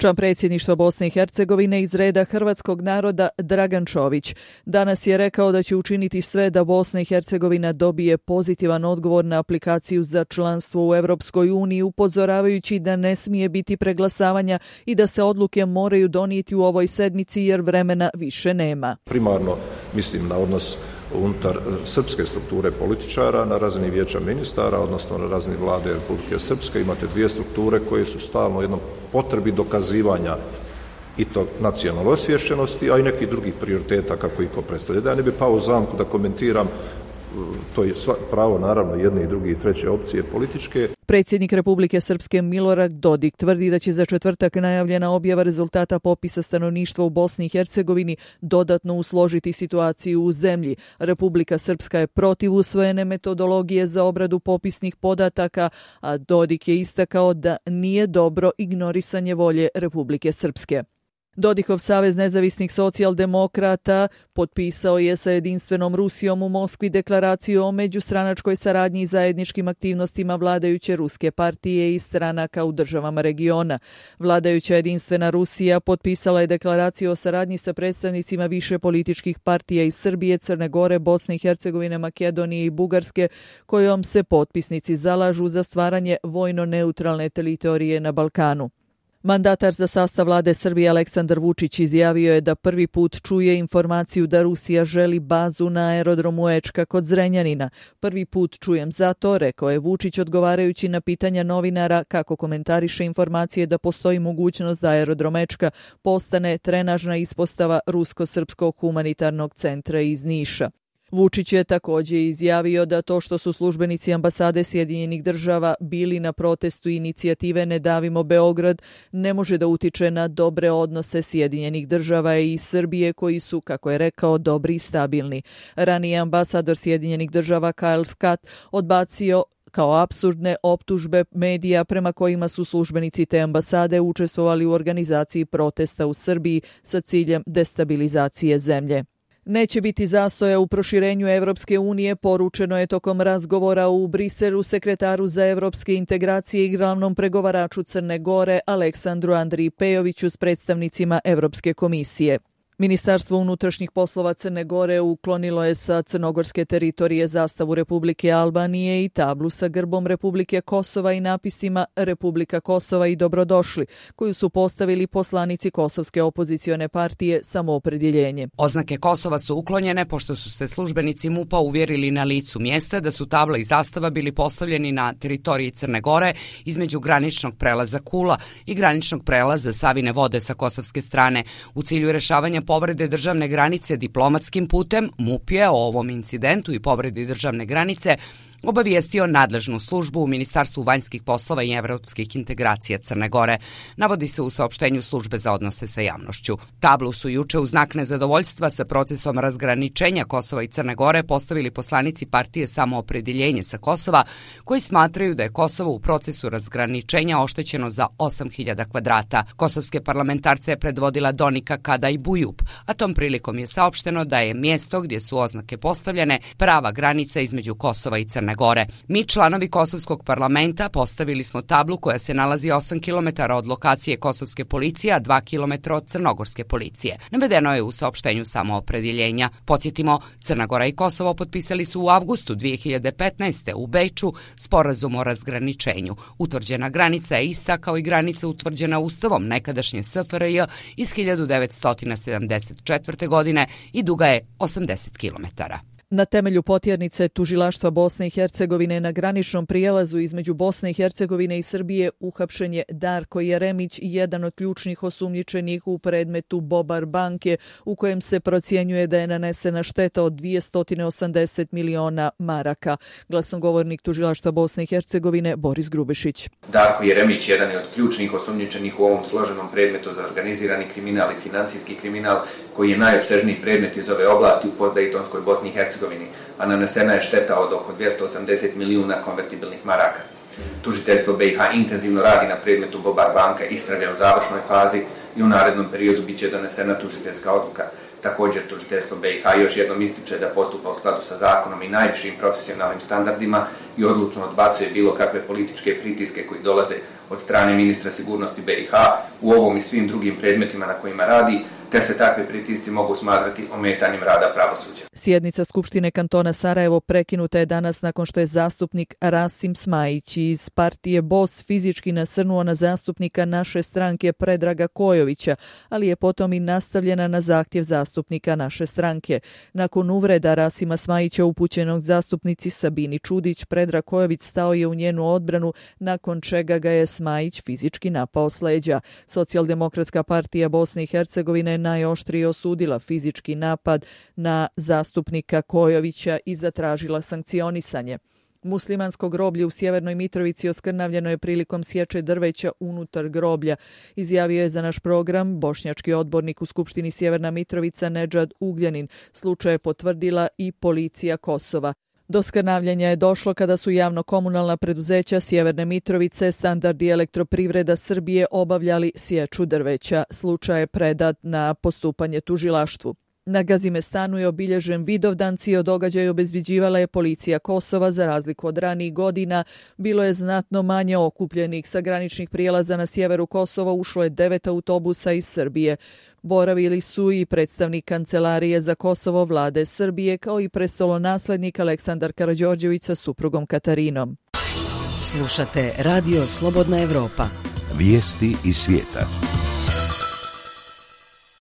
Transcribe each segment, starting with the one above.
Član predsjedništva Bosne i Hercegovine iz reda hrvatskog naroda Dragan Čović danas je rekao da će učiniti sve da Bosna i Hercegovina dobije pozitivan odgovor na aplikaciju za članstvo u Europskoj uniji, upozoravajući da ne smije biti preglasavanja i da se odluke moraju donijeti u ovoj sedmici jer vremena više nema. Primarno mislim na odnos unutar srpske strukture političara na razini vijeća ministara, odnosno na razini vlade Republike Srpske. Imate dvije strukture koje su stalno u jednom potrebi dokazivanja i to nacionalne osviješćenosti, a i nekih drugih prioriteta kako ih ko predstavlja. Da ja ne bi pao u zamku da komentiram, to je pravo naravno jedne i druge i treće opcije političke. Predsjednik Republike Srpske Milorad Dodik tvrdi da će za četvrtak najavljena objava rezultata popisa stanovništva u Bosni i Hercegovini dodatno usložiti situaciju u zemlji. Republika Srpska je protiv usvojene metodologije za obradu popisnih podataka, a Dodik je istakao da nije dobro ignorisanje volje Republike Srpske. Dodikov Savez nezavisnih socijaldemokrata potpisao je sa jedinstvenom Rusijom u Moskvi deklaraciju o međustranačkoj saradnji i zajedničkim aktivnostima vladajuće ruske partije i stranaka u državama regiona. Vladajuća jedinstvena Rusija potpisala je deklaraciju o saradnji sa predstavnicima više političkih partija iz Srbije, Crne Gore, Bosne i Hercegovine, Makedonije i Bugarske, kojom se potpisnici zalažu za stvaranje vojno neutralne teritorije na Balkanu. Mandatar za sastav vlade Srbije Aleksandar Vučić izjavio je da prvi put čuje informaciju da Rusija želi bazu na aerodromu Ečka kod Zrenjanina. Prvi put čujem zato, rekao je Vučić odgovarajući na pitanja novinara kako komentariše informacije da postoji mogućnost da aerodrom Ečka postane trenažna ispostava Rusko-srpskog humanitarnog centra iz Niša. Vučić je također izjavio da to što su službenici ambasade Sjedinjenih država bili na protestu inicijative Ne davimo Beograd ne može da utiče na dobre odnose Sjedinjenih država i Srbije koji su, kako je rekao, dobri i stabilni. Ranije ambasador Sjedinjenih država Kyle Scott odbacio kao apsurdne optužbe medija prema kojima su službenici te ambasade učestvovali u organizaciji protesta u Srbiji sa ciljem destabilizacije zemlje. Neće biti zastoja u proširenju Evropske unije, poručeno je tokom razgovora u Briselu sekretaru za evropske integracije i glavnom pregovaraču Crne Gore Aleksandru Andriji Pejoviću s predstavnicima Evropske komisije. Ministarstvo unutrašnjih poslova Crne Gore uklonilo je sa crnogorske teritorije zastavu Republike Albanije i tablu sa grbom Republike Kosova i napisima Republika Kosova i dobrodošli, koju su postavili poslanici kosovske opozicione partije Samoopredjeljenje. Oznake Kosova su uklonjene pošto su se službenici MUP-a uvjerili na licu mjesta da su tabla i zastava bili postavljeni na teritoriji Crne Gore između graničnog prelaza Kula i graničnog prelaza Savine vode sa kosovske strane. U cilju rešavanja povrede državne granice diplomatskim putem, MUP je o ovom incidentu i povredi državne granice obavijestio nadležnu službu u Ministarstvu vanjskih poslova i evropskih integracija Crne Gore, navodi se u saopštenju službe za odnose sa javnošću. Tablu su juče u znak nezadovoljstva sa procesom razgraničenja Kosova i Crne Gore postavili poslanici partije Samoopredjeljenje sa Kosova, koji smatraju da je Kosovo u procesu razgraničenja oštećeno za 8.000 kvadrata. Kosovske parlamentarce je predvodila Donika Kadaj Bujup, a tom prilikom je saopšteno da je mjesto gdje su oznake postavljene prava granica između Kosova i Crne Gore. Mi, članovi Kosovskog parlamenta, postavili smo tablu koja se nalazi 8 km od lokacije kosovske policije, a 2 km od crnogorske policije. Navedeno je u saopštenju Samoopredjeljenja. Podsjetimo, Crna Gora i Kosovo potpisali su u avgustu 2015. u Beču sporazum o razgraničenju. Utvrđena granica je ista kao i granica utvrđena Ustavom nekadašnje SFRJ iz 1974. godine i duga je 80 km. Na temelju potjernice tužilaštva Bosne i Hercegovine na graničnom prijelazu između Bosne i Hercegovine i Srbije uhapšen je Darko Jeremić, jedan od ključnih osumnjičenih u predmetu Bobar banke, u kojem se procjenjuje da je nanesena šteta od 280 miliona maraka. Glasnogovornik tužilaštva Bosne i Hercegovine Boris Grubešić. Darko Jeremić jedan je od ključnih osumnjičenih u ovom složenom predmetu za organizirani kriminal i financijski kriminal, koji je najopsežniji predmet iz ove oblasti u postdejtonskoj Bosni i Hercegovini, a nanesena je šteta od oko 280 milijuna konvertibilnih maraka. Tužiteljstvo BiH intenzivno radi na predmetu Bobar banka, istraga je u završnoj fazi i u narednom periodu biće donesena tužiteljska odluka. Također, tužiteljstvo BiH još jednom ističe da postupa u skladu sa zakonom i najvišim profesionalnim standardima i odlučno odbacuje bilo kakve političke pritiske koji dolaze od strane ministra sigurnosti BiH u ovom i svim drugim predmetima na kojima radi, te se takve pritisci mogu smatrati ometanjem rada pravosuđa. Sjednica Skupštine kantona Sarajevo prekinuta je danas nakon što je zastupnik Rasim Smajić iz partije BOS fizički nasrnuo na zastupnika naše stranke Predraga Kojovića, ali je potom i nastavljena na zahtjev zastupnika naše stranke. Nakon uvreda Rasima Smajića upućenog zastupnici Sabini Čudić, Predrag Kojović stao je u njenu odbranu, nakon čega ga je Smajić fizički napao s leđa. Socijaldemokratska partija Bosne i Hercegovine najoštrije osudila fizički napad na zastupnika Kojovića i zatražila sankcionisanje. Muslimansko groblje u Sjevernoj Mitrovici oskrnavljeno je prilikom sječe drveća unutar groblja, izjavio je za naš program bošnjački odbornik u Skupštini Sjeverna Mitrovica Nedžad Ugljanin. Slučaj je potvrdila i policija Kosova. Do skrnavljenja je došlo kada su javno-komunalna preduzeća Sjeverne Mitrovice, Standard i Elektroprivreda Srbije obavljali sječu drveća. Slučaj je predat na postupanje tužilaštvu. Na Gazimestanu je obilježen Vidovdan, cijeli događaj obezbeđivala je policija Kosova. Za razliku od ranijih godina, bilo je znatno manje okupljenih. Sa graničnih prijelaza na sjeveru Kosova ušlo je 9 autobusa iz Srbije. Boravili su i predstavnik Kancelarije za Kosovo vlade Srbije, kao i prestolonaslednik Aleksandar Karađorđević sa suprugom Katarinom. Slušate Radio Slobodna Evropa. Vijesti iz svijeta.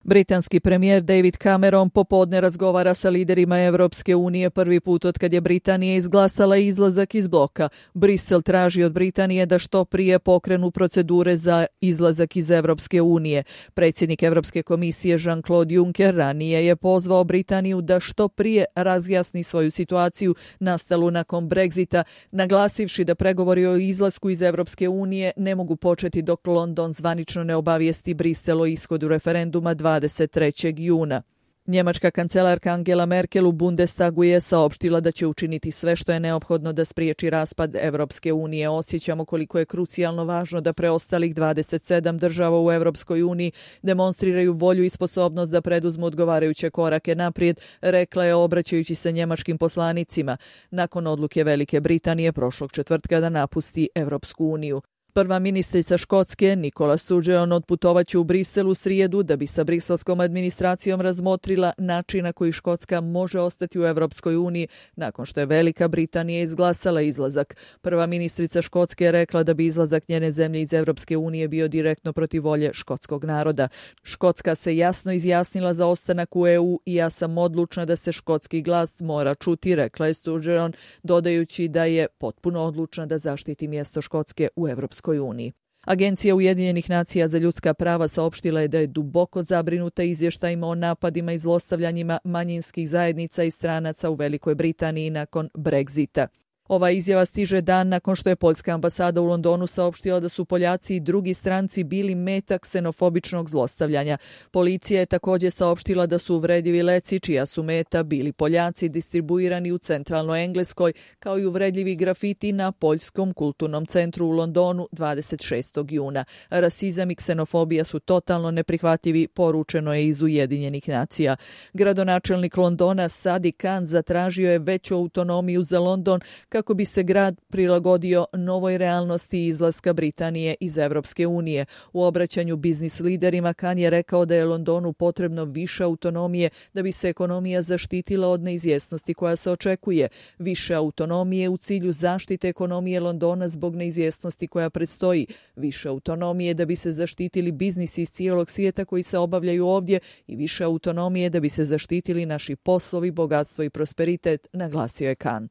Britanski premijer David Cameron popodne razgovara sa liderima Evropske unije prvi put od kad je Britanija izglasala izlazak iz bloka. Brisel traži od Britanije da što prije pokrenu procedure za izlazak iz Evropske unije. Predsjednik Evropske komisije Jean-Claude Juncker ranije je pozvao Britaniju da što prije razjasni svoju situaciju nastalu nakon Brexita, naglasivši da pregovori o izlasku iz Evropske unije ne mogu početi dok London zvanično ne obavijesti Brisel o ishodu referenduma 23. juna. Njemačka kancelarka Angela Merkel u Bundestagu je saopštila da će učiniti sve što je neophodno da spriječi raspad Evropske unije. Osjećamo koliko je krucijalno važno da preostalih 27 država u Evropskoj uniji demonstriraju volju i sposobnost da preduzmu odgovarajuće korake naprijed, rekla je obraćajući se njemačkim poslanicima nakon odluke Velike Britanije prošlog četvrtka da napusti Evropsku uniju. Prva ministrica Škotske, Nicola Sturgeon, otputovaće u Brisel u srijedu da bi sa briselskom administracijom razmotrila način na koji Škotska može ostati u Evropskoj uniji nakon što je Velika Britanija izglasala izlazak. Prva ministrica Škotske je rekla da bi izlazak njene zemlje iz Evropske unije bio direktno protiv volje škotskog naroda. Škotska se jasno izjasnila za ostanak u EU i ja sam odlučna da se škotski glas mora čuti, rekla je Sturgeon, dodajući da je potpuno odlučna da zaštiti mjesto Škotske u Evropskoj uniji. Agencija Ujedinjenih nacija za ljudska prava saopštila je da je duboko zabrinuta izvještajima o napadima i zlostavljanjima manjinskih zajednica i stranaca u Velikoj Britaniji nakon Brexita. Ova izjava stiže dan nakon što je poljska ambasada u Londonu saopštila da su Poljaci i drugi stranci bili meta ksenofobičnog zlostavljanja. Policija je također saopštila da su uvredljivi leci čija su meta bili Poljaci distribuirani u centralnoj Engleskoj, kao i uvredljivi grafiti na Poljskom kulturnom centru u Londonu 26. juna. Rasizam i ksenofobija su totalno neprihvatljivi, poručeno je iz Ujedinjenih nacija. Gradonačelnik Londona Sadiq Khan zatražio je veću autonomiju za London kako bi se grad prilagodio novoj realnosti izlaska Britanije iz Evropske unije. U obraćanju biznis liderima Khan je rekao da je Londonu potrebno više autonomije da bi se ekonomija zaštitila od neizvjesnosti koja se očekuje. Više autonomije u cilju zaštite ekonomije Londona zbog neizvjesnosti koja predstoji. Više autonomije da bi se zaštitili biznisi iz cijelog svijeta koji se obavljaju ovdje i više autonomije da bi se zaštitili naši poslovi, bogatstvo i prosperitet, naglasio je Khan.